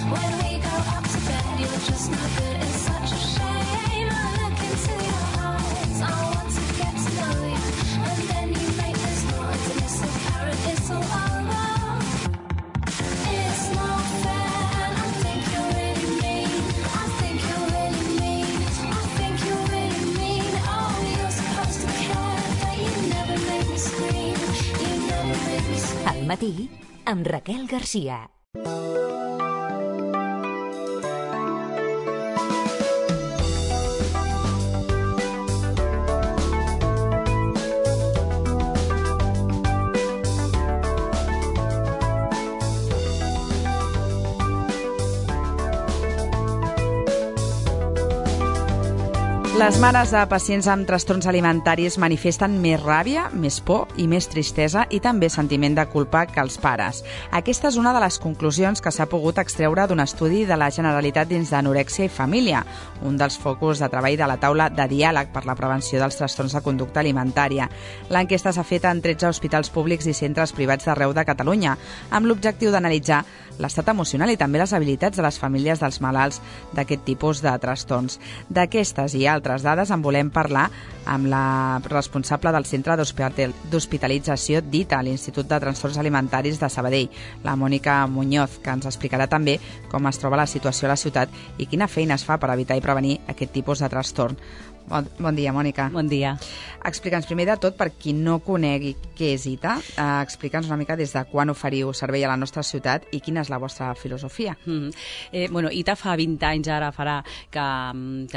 When we go up to bed, you're just no good. It's such a shame. I look into your eyes. I want to get to know you, and then you make this noise, and it's so apparent it's all over. It's not fair, and I think you're really mean. I think you're really mean. I think you're really mean. Oh, you're supposed to care, but you never make me scream. You never make me scream. Al matí, amb Raquel Garcia. Les mares de pacients amb trastorns alimentaris manifesten més ràbia, més por i més tristesa i també sentiment de culpa que els pares. Aquesta és una de les conclusions que s'ha pogut extreure d'un estudi de la Generalitat dins d'Anorèxia i Família, un dels focus de treball de la taula de diàleg per la prevenció dels trastorns de conducta alimentària. L'enquesta s'ha fet en 13 hospitals públics i centres privats d'arreu de Catalunya, amb l'objectiu d'analitzar l'estat emocional i també les habilitats de les famílies dels malalts d'aquest tipus de trastorns. D'aquestes i altres dades en volem parlar amb la responsable del Centre d'Hospitalització DITA, a l'Institut de Trastorns Alimentaris de Sabadell, la Mònica Muñoz, que ens explicarà també com es troba la situació a la ciutat i quina feina es fa per evitar i prevenir aquest tipus de trastorn. Bon dia, Mònica. Bon dia. Explica'ns primer de tot, per qui no conegui què és ITA, explica'ns una mica des de quan oferiu servei a la nostra ciutat i quina és la vostra filosofia. ITA fa 20 anys ara farà que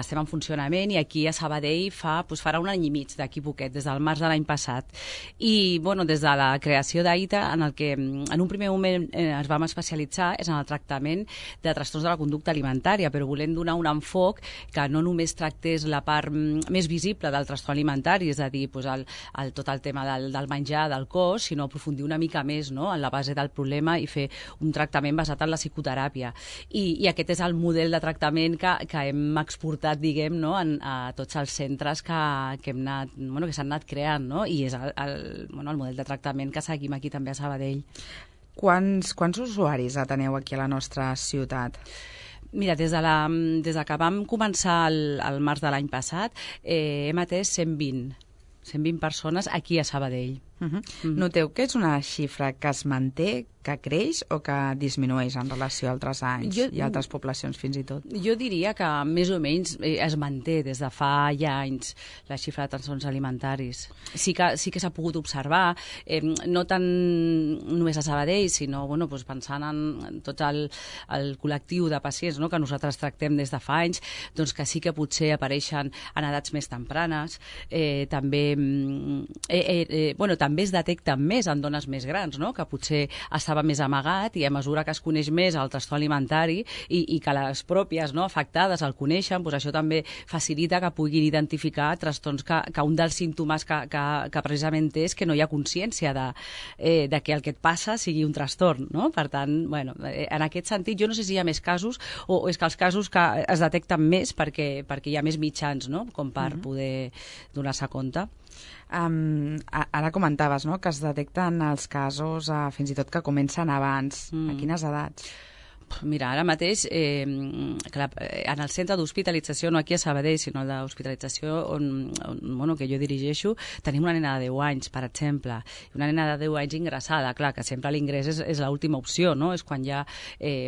estem en funcionament i aquí a Sabadell farà un any i mig d'aquí poquet, des del març de l'any passat. I des de la creació d'ITA, en el que en un primer moment ens vam especialitzar és en el tractament de trastorns de la conducta alimentària, però volem donar un enfoc que no només tractés la part més visible del trastorn alimentari, és a dir, tot el tema del menjar, del cos, sinó aprofundir una mica més en la base del problema i fer un tractament basat en la psicoteràpia. I aquest és el model de tractament que hem exportat, diguem, a tots els centres que s'han anat creant, i és el model de tractament que seguim aquí també a Sabadell. Quants usuaris teniu aquí a la nostra ciutat? Mira, des de que vam començar el març de l'any passat, hem atès 120 persones aquí a Sabadell. Noteu que és una xifra que es manté, que creix o que disminueix en relació a altres anys i altres poblacions fins i tot? Jo diria que més o menys es manté des de fa ja anys la xifra de trastorns alimentaris. Sí que s'ha pogut observar, no tant només a Sabadell, sinó pensant en tot el col·lectiu de pacients que nosaltres tractem des de fa anys, doncs que sí que potser apareixen en edats més tempranes, també es detecten més en dones més grans, que potser estava més amagat i a mesura que es coneix més el trastorn alimentari i que les pròpies afectades el coneixen, això també facilita que puguin identificar trastorns que un dels símptomes que precisament és que no hi ha consciència de que el que et passa sigui un trastorn, no? Per tant, en aquest sentit, jo no sé si hi ha més casos o és que els casos que es detecten més perquè hi ha més mitjans, com per poder donar-se compte. Ara comentaves que es detecten els casos fins i tot que comencen abans. A quines edats? Mira, ara mateix, en el centre d'hospitalització, no aquí a Sabadell, sinó d'hospitalització que jo dirigeixo, tenim una nena de 10 anys, per exemple, una nena de 10 anys ingressada. Clar, que sempre l'ingrés és l'última opció, no? És quan hi ha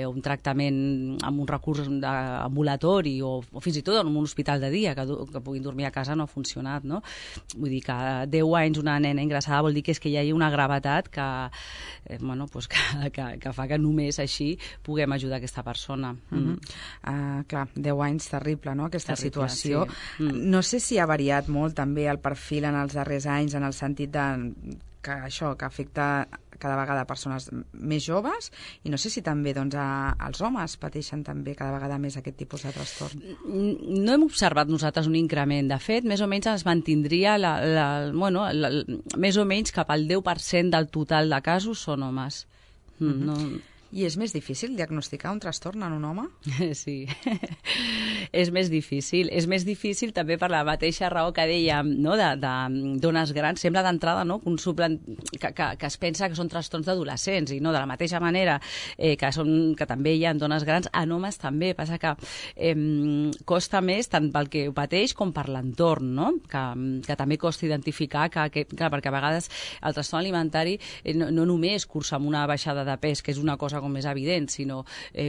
un tractament amb un recurs ambulatori o fins i tot en un hospital de dia, que puguin dormir a casa no ha funcionat, no? Vull dir que 10 anys una nena ingressada vol dir que és que hi ha una gravetat que fa que només així puguem ajudar aquesta persona. Clar, 10 anys, terrible, no?, aquesta situació. Sí. No sé si ha variat molt també el perfil en els darrers anys, en el sentit que afecta cada vegada persones més joves, i no sé si també els homes pateixen també cada vegada més aquest tipus de trastorn. No hem observat nosaltres un increment. De fet, més o menys es mantindria més o menys cap al 10% del total de casos són homes. I és més difícil diagnosticar un trastorn en un home? Sí, és més difícil. És més difícil també per la mateixa raó que dèiem, no? de dones grans. Sembla d'entrada, no? que es pensa que són trastorns d'adolescents i no, de la mateixa manera que també hi ha dones grans, en homes també. Passa que costa més tant pel que ho pateix com per l'entorn, no? que també costa identificar clar, perquè a vegades el trastorn alimentari no només cursa amb una baixada de pes, que és una cosa com més evident, sinó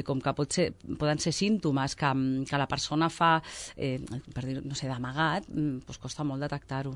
com que poden ser símptomes que la persona fa, per dir, no sé, d'amagat, doncs costa molt detectar-ho.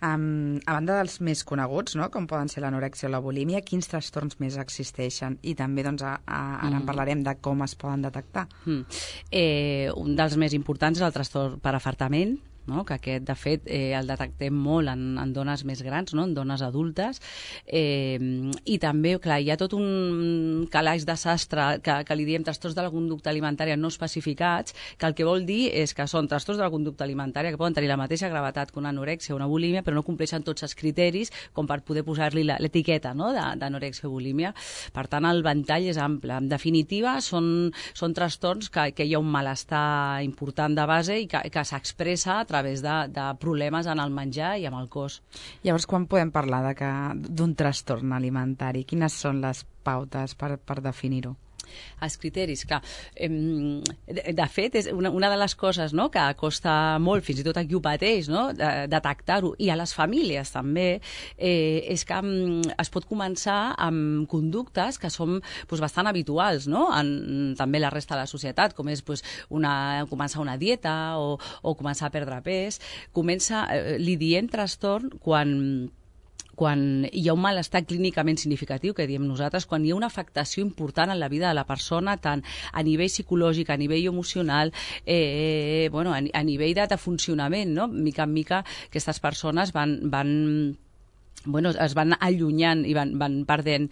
A banda dels més coneguts, no? Com poden ser l'anorèxia o la bulímia, quins trastorns més existeixen? I també doncs, ara en parlarem de com es poden detectar. Un dels més importants és el trastorn per afartament, no? Que aquest, de fet, el detectem molt en dones més grans, no? En dones adultes, i també, clar, hi ha tot un calaix de sastre que li diem trastorns de la conducta alimentària no especificats, que el que vol dir és que són trastorns de la conducta alimentària que poden tenir la mateixa gravetat que una anorèxia o una bulímia, però no compleixen tots els criteris com per poder posar-li l'etiqueta, no? d'anorèxia o bulímia. Per tant, el ventall és ample. En definitiva, són trastorns que hi ha un malestar important de base i que s'expressa a través de problemes en el menjar i amb el cos. Llavors, quan podem parlar d'un trastorn alimentari? Quines són les pautes per definir-ho? Els criteris, clar. De fet, és una de les coses, no?, que costa molt, fins i tot a qui ho pateix, no?, detectar-ho, i a les famílies també, és que es pot començar amb conductes que són bastant habituals, no?, en també la resta de la societat, com és començar una dieta o començar a perdre pes. Li diem trastorn quan hi ha un malestar clínicament significatiu, que diem nosaltres, quan hi ha una afectació important en la vida de la persona, tant a nivell psicològic, a nivell emocional, a nivell de funcionament, no? Mica en mica aquestes persones es van allunyant i van perdent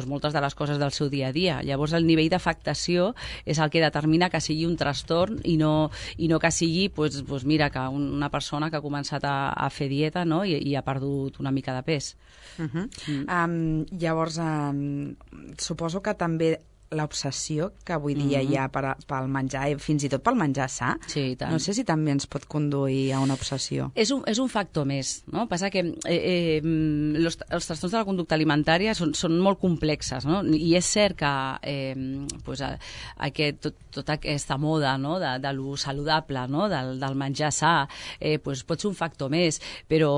moltes de les coses del seu dia a dia. Llavors, el nivell d'afectació és el que determina que sigui un trastorn i no que sigui, mira, que una persona que ha començat a fer dieta, no?, i ha perdut una mica de pes. Llavors, suposo que també l'obsessió que avui dia hi ha pel menjar, i fins i tot pel menjar sa, sí, no sé si també ens pot conduir a una obsessió. És un factor més, no? Passa que els trastorns de la conducta alimentària són molt complexes, no? I és cert que tota aquesta moda, no?, de lo saludable, no?, del menjar sa, pot ser un factor més, però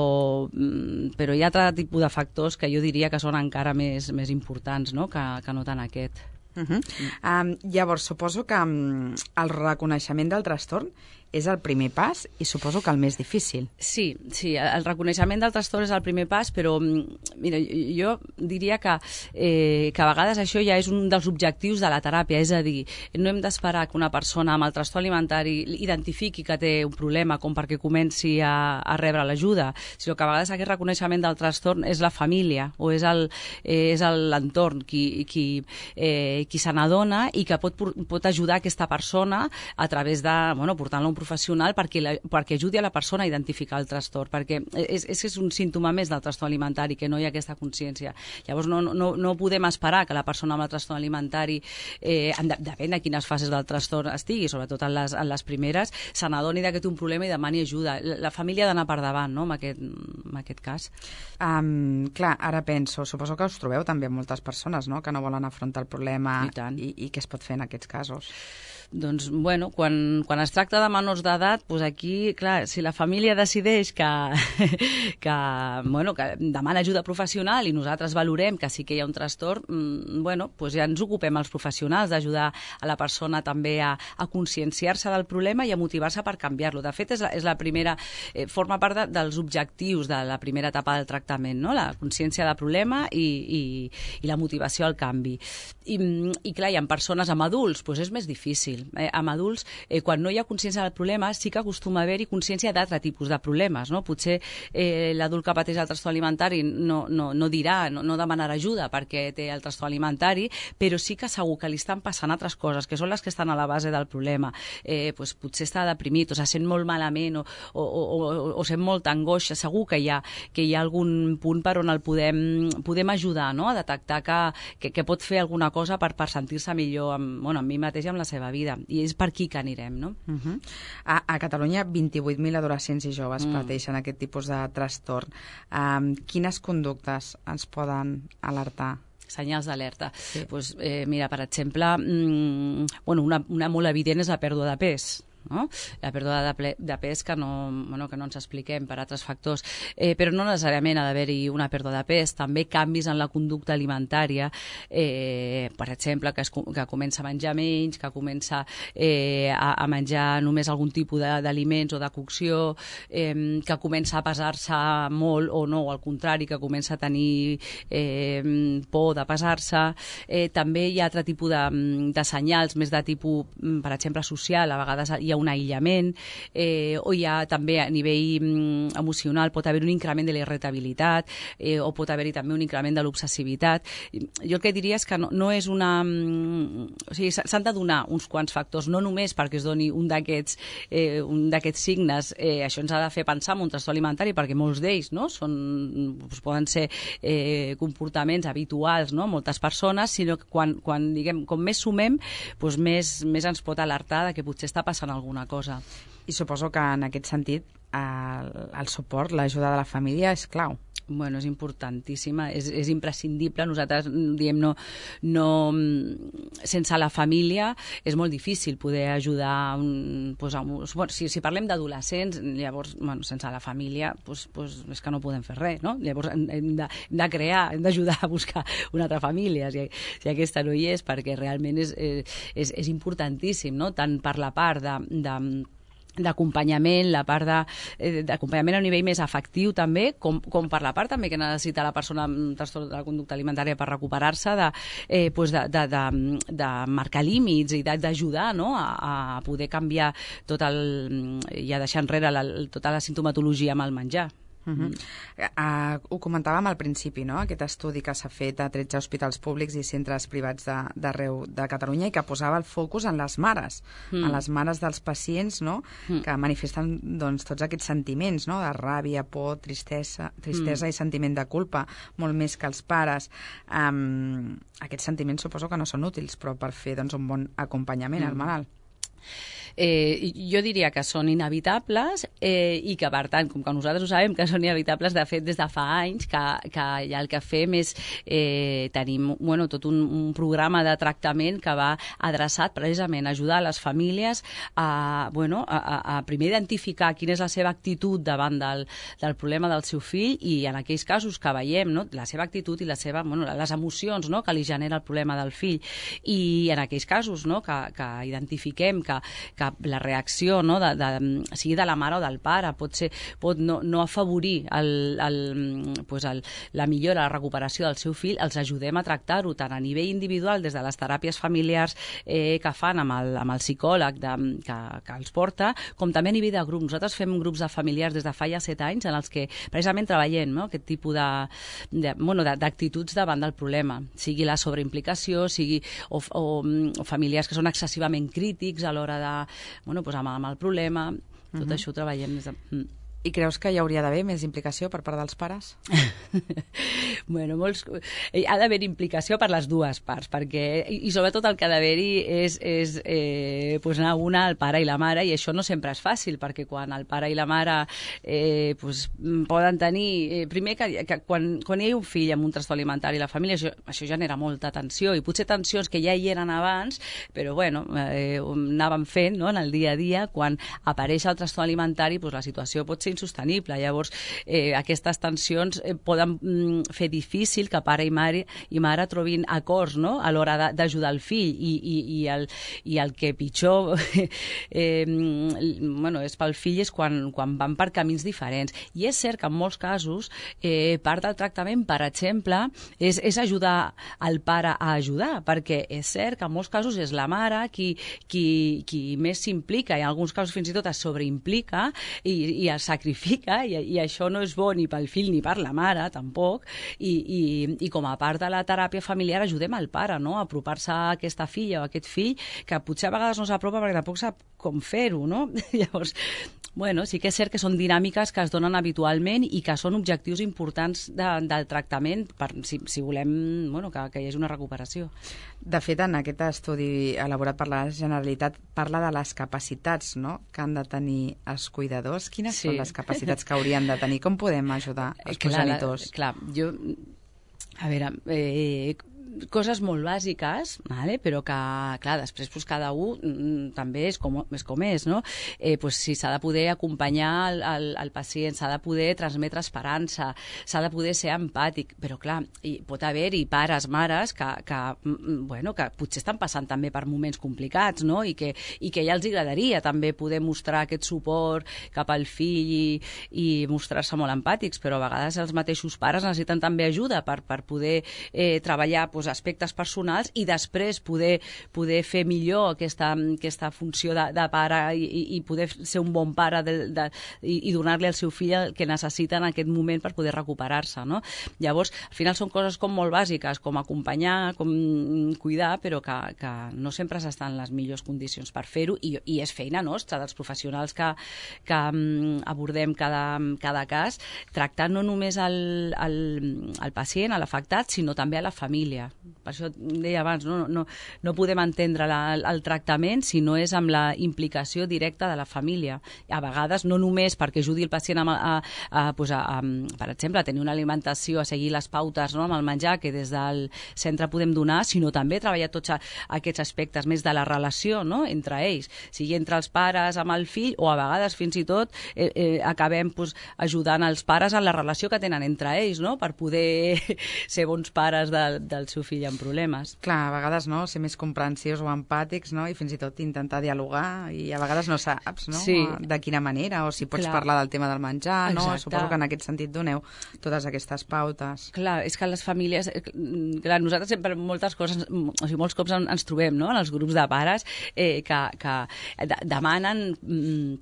hi ha altre tipus de factors que jo diria que són encara més importants, no?, que no tant aquest. Llavors, suposo que el reconeixement del trastorn és el primer pas i suposo que el més difícil. Sí, el reconeixement del trastorn és el primer pas, però mira, jo diria que a vegades això ja és un dels objectius de la teràpia, és a dir, no hem d'esperar que una persona amb el trastorn alimentari identifiqui que té un problema com perquè comenci a rebre l'ajuda, sinó que a vegades aquest reconeixement del trastorn és la família o és l'entorn qui se n'adona i que pot ajudar aquesta persona a través de, portant-la a un professional perquè ajudi a la persona a identificar el trastorn, perquè és un símptoma més del trastorn alimentari, que no hi ha aquesta consciència. Llavors no podem esperar que la persona amb el trastorn alimentari, depèn de quines fases del trastorn estigui, sobretot en les primeres, se n'adoni que té un problema i demani ajuda. La família ha d'anar per davant, no?, en aquest cas. Clar, ara penso, suposo que us trobeu també amb moltes persones, no?, que no volen afrontar el problema i què es pot fer en aquests casos? Doncs, quan es tracta de menors d'edat, aquí, clar, si la família decideix que demana ajuda professional i nosaltres valorem que sí que hi ha un trastorn, ja ens ocupem els professionals d'ajudar a la persona també a conscienciar-se del problema i a motivar-se per canviar-lo. De fet, és la primera, forma part dels objectius de la primera etapa del tractament, no?, la consciència del problema i la motivació al canvi. I clar, i en persones amb adults és més difícil, fàcil. Amb adults, quan no hi ha consciència del problema, sí que acostuma a haver-hi consciència d'altre tipus de problemes, no? Potser l'adult que pateix el trastorn alimentari no dirà, no demanarà ajuda perquè té el trastorn alimentari, però sí que segur que li estan passant altres coses, que són les que estan a la base del problema. Potser està deprimit, o se sent molt malament, o sent molta angoixa. Segur que hi ha algun punt per on el podem ajudar, no? A detectar que pot fer alguna cosa per sentir-se millor amb mi mateix i amb la seva vida. I és per aquí que anirem, no? A Catalunya, 28.000 adolescents i joves pateixen aquest tipus de trastorn. Quines conductes ens poden alertar? Senyals d'alerta. Sí. Mira, per exemple, una molt evident és la pèrdua de pes. No? La pèrdua de pes que no ens expliquem per altres factors, però no necessàriament ha d'haver-hi una pèrdua de pes, també canvis en la conducta alimentària, per exemple, que comença a menjar menys, que comença a menjar només algun tipus d'aliments o de cocció, que comença a pesar-se molt o no, al contrari, que comença a tenir por de pesar-se. També hi ha altre tipus de senyals, més de tipus, per exemple, social. A vegades hi ha un aïllament, o hi ha també a nivell emocional, pot haver un increment de la irritabilitat, o pot haver-hi també un increment de l'obsessivitat. Jo el que diria és que no és una... O sigui, s'han de donar uns quants factors, no només perquè es doni un d'aquests signes. Això ens ha de fer pensar en un trastorn alimentari, perquè molts d'ells, no, poden ser comportaments habituals, no, moltes persones, sinó que quan diguem, com més sumem, doncs més ens pot alertar de que potser està passant alguna cosa. I suposo que en aquest sentit el suport, l'ajuda de la família és clau. Bueno, és importantíssima, és imprescindible. Nosaltres diem sense la família és molt difícil poder ajudar. Si parlem d'adolescents, llavors sense la família és que no podem fer res, no? Llavors hem d'ajudar a buscar una altra família si aquesta no hi és, perquè realment és importantíssim, no? Tant per la part d'acompanyament, la part d'acompanyament a un nivell més afectiu també, com per la part també que necessita la persona amb trastorn de la conducta alimentària per recuperar-se, de marcar límits i d'ajudar, no? A poder canviar i a deixar enrere tota la sintomatologia amb el menjar. Ho comentàvem al principi, no? Aquest estudi que s'ha fet a 13 hospitals públics i centres privats d'arreu de Catalunya i que posava el focus en les mares, en les mares dels pacients, no? Que manifesten tots aquests sentiments, no? De ràbia, por, tristesa i sentiment de culpa, molt més que els pares. Aquests sentiments suposo que no són útils, però per fer un bon acompanyament al malalt. Jo diria que són inevitables i que, per tant, com que nosaltres ho sabem que són inevitables, de fet, des de fa anys que ja el que fem és tenim tot un programa de tractament que va adreçat precisament a ajudar les famílies a primer identificar quina és la seva actitud davant del problema del seu fill i en aquells casos que veiem, no, la seva actitud i les emocions, no, que li genera el problema del fill, i en aquells casos, no, que identifiquem que la reacció, no, sigui de la mare o del pare pot no afavorir la millora, la recuperació del seu fill, els ajudem a tractar-ho tant a nivell individual des de les teràpies familiars que fan amb el psicòleg que els porta, com també a nivell de grup. Nosaltres fem grups de familiars des de fa ja 7 anys en els que precisament treballem, no, aquest tipus d'actituds davant del problema, sigui la sobreimplicació, sigui o familiars que són excessivament crítics a l'hora amb el problema. Tot això ho treballem des de... I creus que hi hauria d'haver més implicació per part dels pares? Ha d'haver implicació per les dues parts, i sobretot el que ha d'haver-hi és anar una al pare i la mare, i això no sempre és fàcil, perquè quan el pare i la mare poden tenir... Primer, que quan hi ha un fill amb un trastorn alimentari a la família, això genera molta tensió, i potser tensions que ja hi eren abans, però anàvem fent, no, en el dia a dia. Quan apareix el trastorn alimentari, la situació pot ser insostenible. Llavors, aquestes tensions poden fer difícil que pare i mare trobin acords, no?, a l'hora d'ajudar el fill, i el que pitjor és pel fill és quan van per camins diferents. I és cert que en molts casos part del tractament, per exemple, és ajudar el pare a ajudar, perquè és cert que en molts casos és la mare qui més s'implica, i en alguns casos fins i tot es sobreimplica i es sacrifica, i això no és bo ni pel fill ni per la mare, tampoc, i com a part de la teràpia familiar ajudem al pare, no?, a apropar-se a aquesta filla o a aquest fill, que potser a vegades no s'apropa perquè tampoc sap com fer-ho, no? Llavors, sí que és cert que són dinàmiques que es donen habitualment i que són objectius importants del tractament si volem que hi hagi una recuperació. De fet, en aquest estudi elaborat per la Generalitat parla de les capacitats, no?, que han de tenir els cuidadors. Quines són les capacitats que haurien de tenir? Com podem ajudar els progenitors? A veure, coses molt bàsiques, vale? Però que, clar, després cada un també és com és, no? Si s'ha de poder acompanyar el pacient, s'ha de poder transmetre esperança, s'ha de poder ser empàtic, però, clar, pot haver-hi pares, mares que potser estan passant també per moments complicats, no?, i que ja els agradaria també poder mostrar aquest suport cap al fill i mostrar-se molt empàtics, però a vegades els mateixos pares necessiten també ajuda per poder treballar aspectes personals i després poder fer millor aquesta funció de pare i poder ser un bon pare i donar-li al seu fill el que necessita en aquest moment per poder recuperar-se, no? Llavors, al final són coses com molt bàsiques, com acompanyar, com cuidar, però que no sempre s'estan en les millors condicions per fer-ho, i és feina nostra, dels professionals que abordem cada cas, tractant no només el pacient, l'afectat, sinó també a la família. Per això deia abans, no podem entendre el tractament si no és amb la implicació directa de la família. A vegades, no només perquè ajudi el pacient per exemple, a tenir una alimentació, a seguir les pautes, no?, amb el menjar que des del centre podem donar, sinó també treballar tots aquests aspectes més de la relació, no?, entre ells, sigui entre els pares amb el fill, o a vegades fins i tot acabem ajudant els pares en la relació que tenen entre ells, no?, per poder ser bons pares del seu fill amb problemes. Clar, a vegades ser més comprensius o empàtics, no?, i fins i tot intentar dialogar, i a vegades no saps, no?, de quina manera, o si pots parlar del tema del menjar, no? Suposo que en aquest sentit doneu totes aquestes pautes. Clar, és que les famílies... Clar, nosaltres sempre molts cops ens trobem, no?, en els grups de pares que demanen...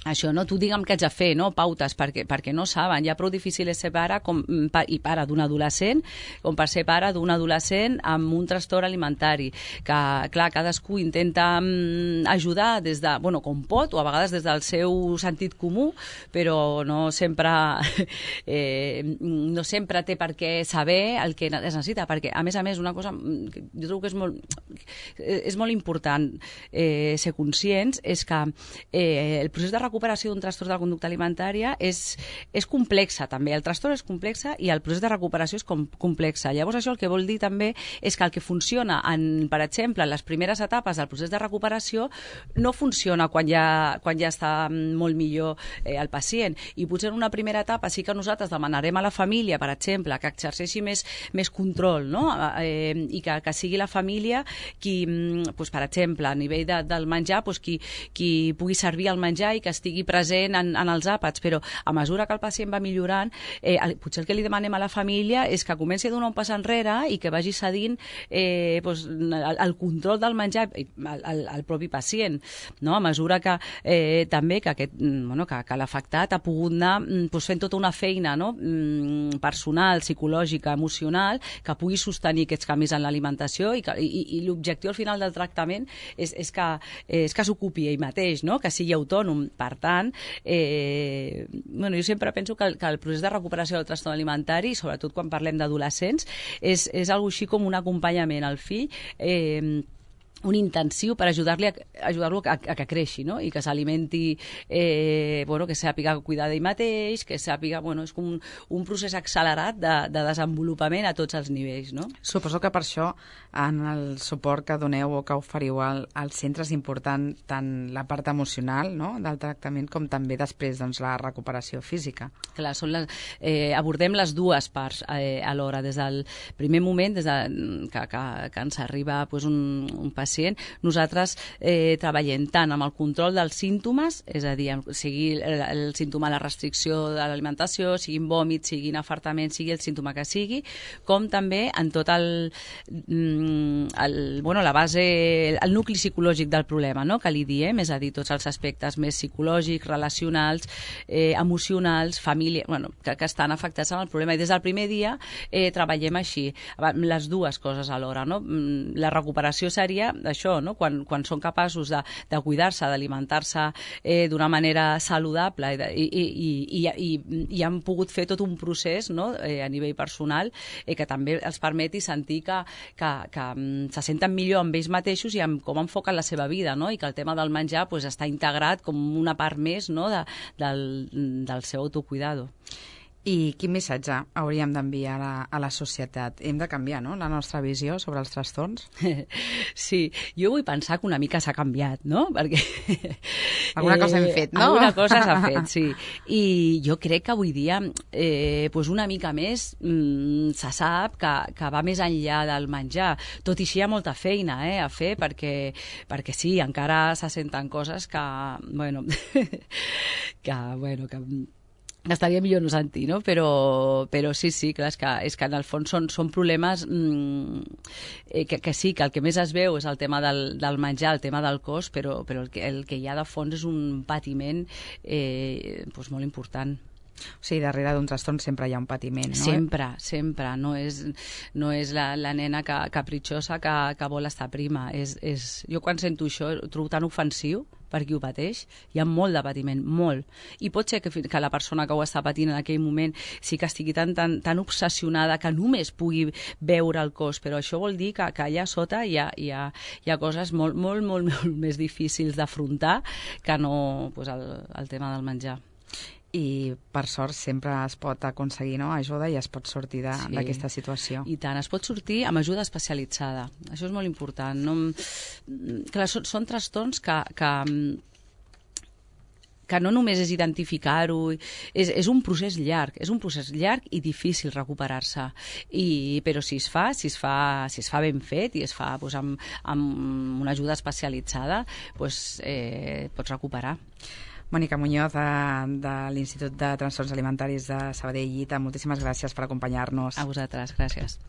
Això, no? Tu digue'm què haig de fer, no? Pautes, perquè no saben. Ja prou difícil és ser pare i pare d'un adolescent, com per ser pare d'un adolescent amb un trastorn alimentari. Que, clar, cadascú intenta ajudar des de, com pot, o a vegades des del seu sentit comú, però no sempre té per què saber el que es necessita, perquè, a més, una cosa que jo trobo que és molt important ser conscients és que el procés de recuperació d'un trastorn de la conducta alimentària és complexa, també. El trastorn és complexa i el procés de recuperació és complexa. Llavors, això el que vol dir també és que el que funciona, per exemple, en les primeres etapes del procés de recuperació, no funciona quan ja està molt millor el pacient. I potser en una primera etapa sí que nosaltres demanarem a la família, per exemple, que exerceixi més control, no? I que sigui la família qui, per exemple, a nivell del menjar, qui pugui servir el menjar i que estigui present en els àpats, però a mesura que el pacient va millorant, potser el que li demanem a la família és que comenci a donar un pas enrere i que vagi cedint el control del menjar al propi pacient, no? A mesura que també que l'afectat ha pogut anar fent tota una feina, no?, personal, psicològica, emocional, que pugui sostenir aquests canvis en l'alimentació, i l'objectiu al final del tractament és que s'ocupi ell mateix, no?, que sigui autònom. Per tant, jo sempre penso que el procés de recuperació del trastorn alimentari, sobretot quan parlem d'adolescents, és algo així com un acompanyament al fill un intensiu per ajudar-lo a que creixi, no? I que s'alimenti, que sàpiga cuidar d'ell mateix, que sàpiga... és com un procés accelerat de desenvolupament a tots els nivells, no? Suposo que per això en el suport que doneu o que oferiu al centre és important tant la part emocional, no?, del tractament com també després la recuperació física. Clar, abordem les dues parts alhora. Des del primer moment, des que ens arriba un pacient, nosaltres treballem tant amb el control dels símptomes, és a dir, sigui el símptoma de la restricció de l'alimentació, siguin vòmits, siguin afartaments, sigui el símptoma que sigui, com també en tot la base, el nucli psicològic del problema, no?, que li diem, és a dir, tots els aspectes més psicològics, relacionals, emocionals, família, que estan afectats amb el problema. I des del primer dia treballem així, les dues coses alhora, no? La recuperació seria això, no? Quan són capaços de cuidar-se, d'alimentar-se d'una manera saludable i han pogut fer tot un procés, no?, a nivell personal que també els permeti sentir que se senten millor amb ells mateixos i amb com enfoquen la seva vida, no?, i que el tema del menjar està integrat com una part més, no?, del seu autocuidado. I quin missatge hauríem d'enviar a la societat? Hem de canviar, no?, la nostra visió sobre els trastorns? Sí, jo vull pensar que una mica s'ha canviat, no? Perquè... alguna cosa hem fet, no? Alguna cosa s'ha fet, sí. I jo crec que avui dia una mica més se sap que va més enllà del menjar. Tot i així hi ha molta feina a fer perquè sí, encara se senten coses que estaria millor no sentir, no? Però sí, clar, és que en el fons són problemes que sí, que el que més es veu és el tema del menjar, el tema del cos, però el que hi ha de fons és un patiment molt important. O sigui, darrere d'un trastorn sempre hi ha un patiment, no? Sempre. No és la nena capritxosa que vol estar prima. Jo quan sento això ho trobo tan ofensiu per qui ho pateix. Hi ha molt de patiment, molt. I pot ser que la persona que ho està patint en aquell moment sí que estigui tan obsessionada que només pugui veure el cos, però això vol dir que allà sota hi ha coses molt, molt, molt, molt més difícils d'afrontar que no el tema del menjar. I per sort sempre es pot aconseguir, no?, ajuda i es pot sortir d'aquesta situació. I tant, es pot sortir amb ajuda especialitzada. Això és molt important. Clar, són trastorns que no només és identificar-ho, és un procés llarg i difícil recuperar-se. Però si es fa ben fet i es fa amb una ajuda especialitzada, pots recuperar. Mònica Muñoz, de l'Institut de Trastorns Alimentaris de Sabadell-Ita, moltíssimes gràcies per acompanyar-nos. A vosaltres, gràcies.